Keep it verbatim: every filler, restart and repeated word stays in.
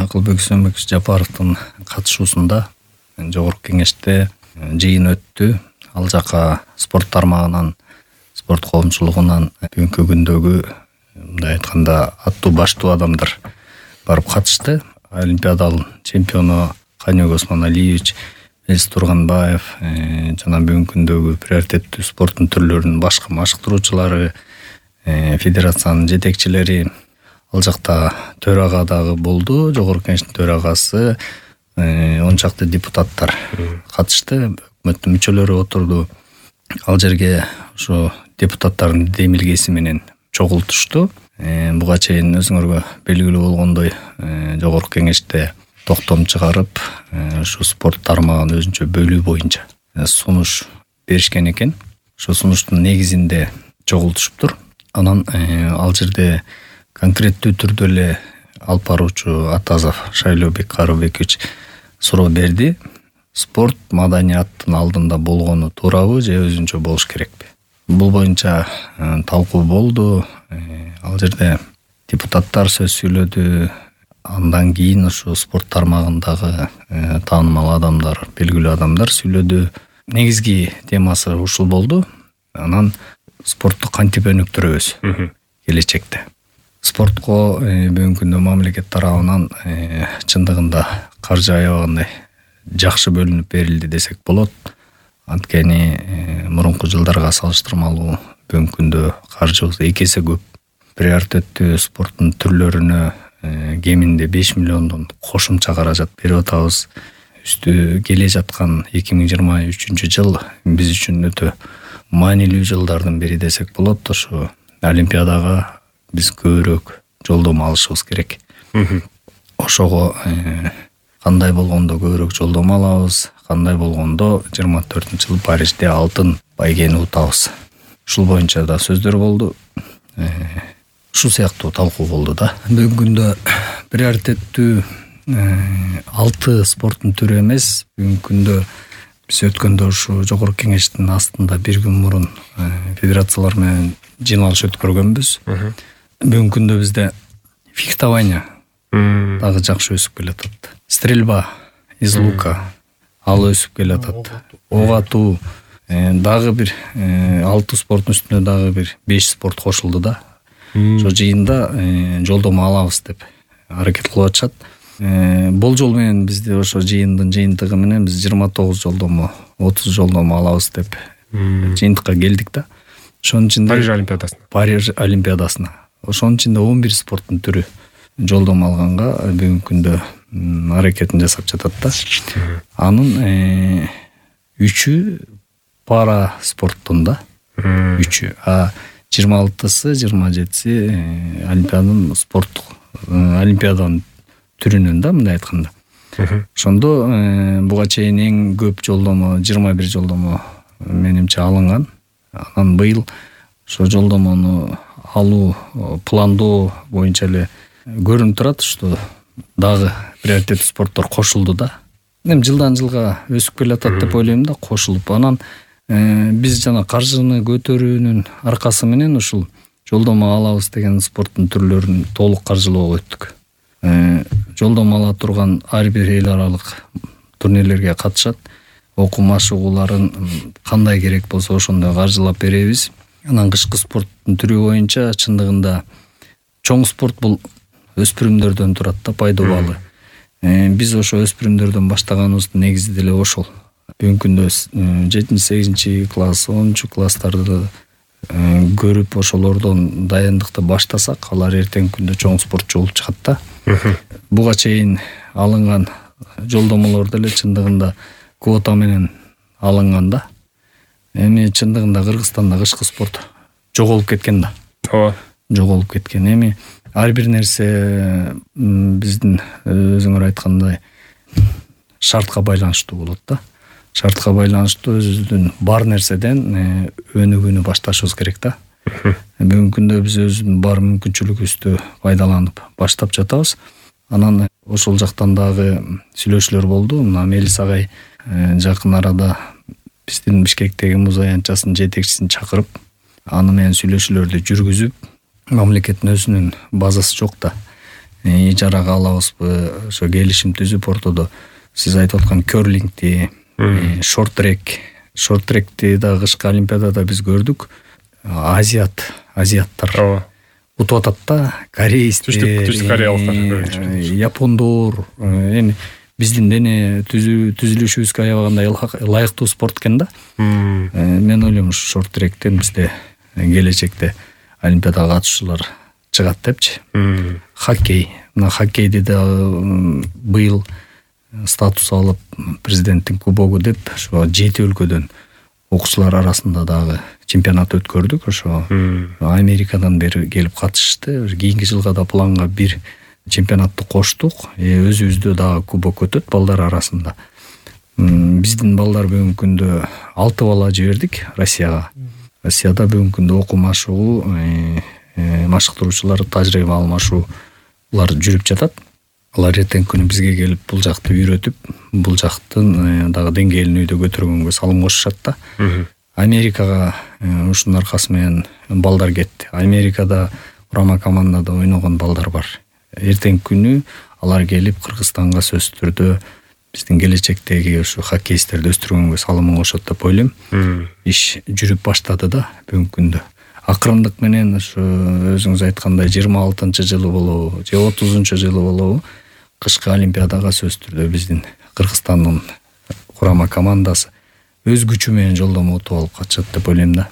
Акылбек Үсөнбекович Жапаровдун катышуусунда жогорку кеңеште жыйын өттү. Ал жака спорт тармагынан, спорт коомчулугунан бүгүнкү күндөгү мындай айтканда аттуу баштуу адамдар барып катышты. Олимпиадалын чемпиону Каныбек Осмоналиевич, Элис Турганбаев жана бүгүнкү күндөгү приоритеттүү спорттун түрлөрүнүн башка машыктыруучулары, федерациянын жетекчилери ал жакта төрага дагы болду. Жогорку кеңештин төрагасы, он чакты депутаттар катышты, өкмөттүн мүчөлөрү отурду. Ал жерге ушу депутаттардын демилгеси менен чогултушту. Буга чейин өзүңөргө белгилүү болгондой жогорку кеңеште токтом чыгарып, ушу спорт тармагын өзүнчө бөлүү боюнча сунуш беришкен экен. Ошо сунуштун негизинде чогултушуптур. Анан ал жерде конкреттүү түрдө эле алып баруучу Атазов Шайлообек Карыбекович суроо берди. Спорт маданияттын алдында болгону туурабы же өзүнчө болуш керекпи? Бул боюнча талкуу болду. Ал жерде депутаттар сөз сүйлөдү. Андан кийин ушу спорт тармагындагы таанымал адамдар, белгилүү адамдар сүйлөдү. Негизги темасы ушул болду. Анан спортту кантип өнүктүрөбүз келечекте? Спортко бүгүнкү күндө мамлекет тарабынан чындыгында каржы аябагандай жакшы бөлүнүп берилди десек болот. Анткени мурунку жылдарга салыштырмалуу бүгүнкү күндө каржыбыз эки эсе көп. Приоритеттүү спорттун түрлөрүнө кеминде беш миллиондон кошумча каражат берип атабыз. Үстү келе жаткан эки миң жыйырма үчүнчү жыл биз үчүн өтө маанилүү жылдардын бири десек болот. Ошо Олимпиадага биз көбүрөөк жолдомо алышыбыз керек. Ошого кандай болгондо көбүрөөк жолдомо алабыз, кандай болгондо жыйырма төртүнчү жылы Парижде алтын байгени утабыз. Ушул боюнча да сөздөр болду. Ушул сыяктуу талкуу болду да. Бүгүнкү күндө приоритеттүү алты спорттун түрү эмес. Бүгүнкү күндө биз өткөндө ушу жогорку кеңештин астында бир күн мурун федерациялар менен жыйналыш өткөргөнбүз. Бүгүнкү күндө бизде фехтование дагы жакшы өсүп келатат. Стрельба из лука ал өсүп келатат. Ок атуу дагы бир алты спорттун үстүнө дагы бир беш спорт кошулду да. Ошо жыйында жолдомо алабыз деп аракет кылып атышат. Болжол менен бизде ошо жыйындын жыйынтыгы менен биз жыйырма тогуз жолдомо, отуз жолдомо алабыз деп жыйынтыкка келдик да. Ошонун ичинде Париж Олимпиадасына. Париж Олимпиадасына. Ошонун ичинде он бир спорттун түрү жолдомо алганга бүгүнкү күндө аракетин жасап жатат да. Анын үчү пара спорттун да. Үчү. А жыйырма алтысы, жыйырма жетиси Олимпиаданын спорттук Олимпиаданын түрүнөн да, мындай айтканда. Ошондо буга чейин эң көп жолдомо жыйырма бир жолдомо менимче алынган. Анан быйыл ошо жолдомону алуу пландоо боюнча эле көрүнүп турат, что дагы приоритеттүү спорттор кошулду да. Эми жылдан жылга өсүп келатат деп ойлойм да, кошулуп. Анан биз жана каржыны көтөрүүнүн аркасы менен ушул жолдомо алабыз деген спорттун түрлөрүн толук каржылоого өттүк. Жолдомо ала турган ар бир эл аралык турнирлерге катышат. Окуу машыгууларын кандай керек болсо ошондой каржылап беребиз. Анан кышкы спорттун түрү боюнча чындыгында чоң спорт бул өспүрүмдөрдөн турат да, пайдобалы. Биз ошо өспүрүмдөрдөн баштаганыбыздын негизи деле ошол. Бүгүнкү күндө жетинчи, сегизинчи класс, онунчу класстарды көрүп ошолордон дайындыкты баштасак, алар эртеңки күндө чоң спортчу болуп чыгат да. Буга чейин алынган жолдомолор деле чындыгында квота менен алынган да. Эми чындыгында Кыргызстанда кышкы спорт жоголуп кеткен да. Ооба. Жоголуп кеткен. Эми ар бир нерсе биздин өзүңөр айткандай шартка байланыштуу болот да. Шартка байланыштуу өзүбүздүн бар нерседен өнүгүүнү башташыбыз керек да. Бүгүнкү күндө биз өзүбүздүн бар мүмкүнчүлүгүбүздү пайдаланып баштап жатабыз. Анан ошол жактан дагы сүйлөшүүлөр болду. Мына Мелис агай жакын арада биздин Бишкектеги муз аянтчасынын жетекчисин чакырып, аны менен сүйлөшүүлөрдү жүргүзүп, мамлекеттин өзүнүн базасы жок да. ижарага алабызбы, ошо келишим түзүп ортодо сиз айтып аткан керлингти, шорт-трек, шорт-тректи да кышкы олимпиадада биз көрдүк. Азиат, азиаттар утуп атат да, корейстер, Түштүк Кореялыктар, япондор. Эми биздин дене түзүлүшүбүзгө аябагандай ылайыктуу спорт экен да. Мен ойлойм ушу шорт-тректен бизде келечекте олимпиадага катышуулар чыгат депчи. Хоккей, мына хоккейди да быйыл статус алып президенттин кубогу деп ошо жети өлкөдөн окуучулар арасында дагы чемпионат өткөрдүк. Ошо Америкадан бери келип катышты. Кийинки жылга да планга бир чемпионатты коштук. Өзүбүздө дагы кубок өтөт балдар арасында. Биздин балдар бүгүнкү күндө алты бала жибердик Россияга. Россияда бүгүнкү күндө окуу машыгуу, машыктыруучулар тажрыйба алмашуулар жүрүп жатат. Алар эртеңки күнү бизге келип бул жакты үйрөтүп, бул жактын дагы деңгээлин үйдө көтөргөнгө салым кошушат да. Америкага ушунун аркасы менен балдар кетти. Америкада курама командада ойногон балдар бар. Эртеңки күнү алар келип Кыргызстанга сөзсүз түрдө биздин келечектеги ушу хоккеисттерди өстүргөнгө салымын кошот деп ойлойм. Иш жүрүп баштады да бүгүнкү күндө. Акырындык менен ушу өзүңүз айткандай жыйырма алтынчы жылы болобу же отузунчу жылы болобу кышкы олимпиадага сөзсүз түрдө биздин Кыргызстандын курама командасы өз күчү менен жолдомо утуп алып катышат деп ойлойм да.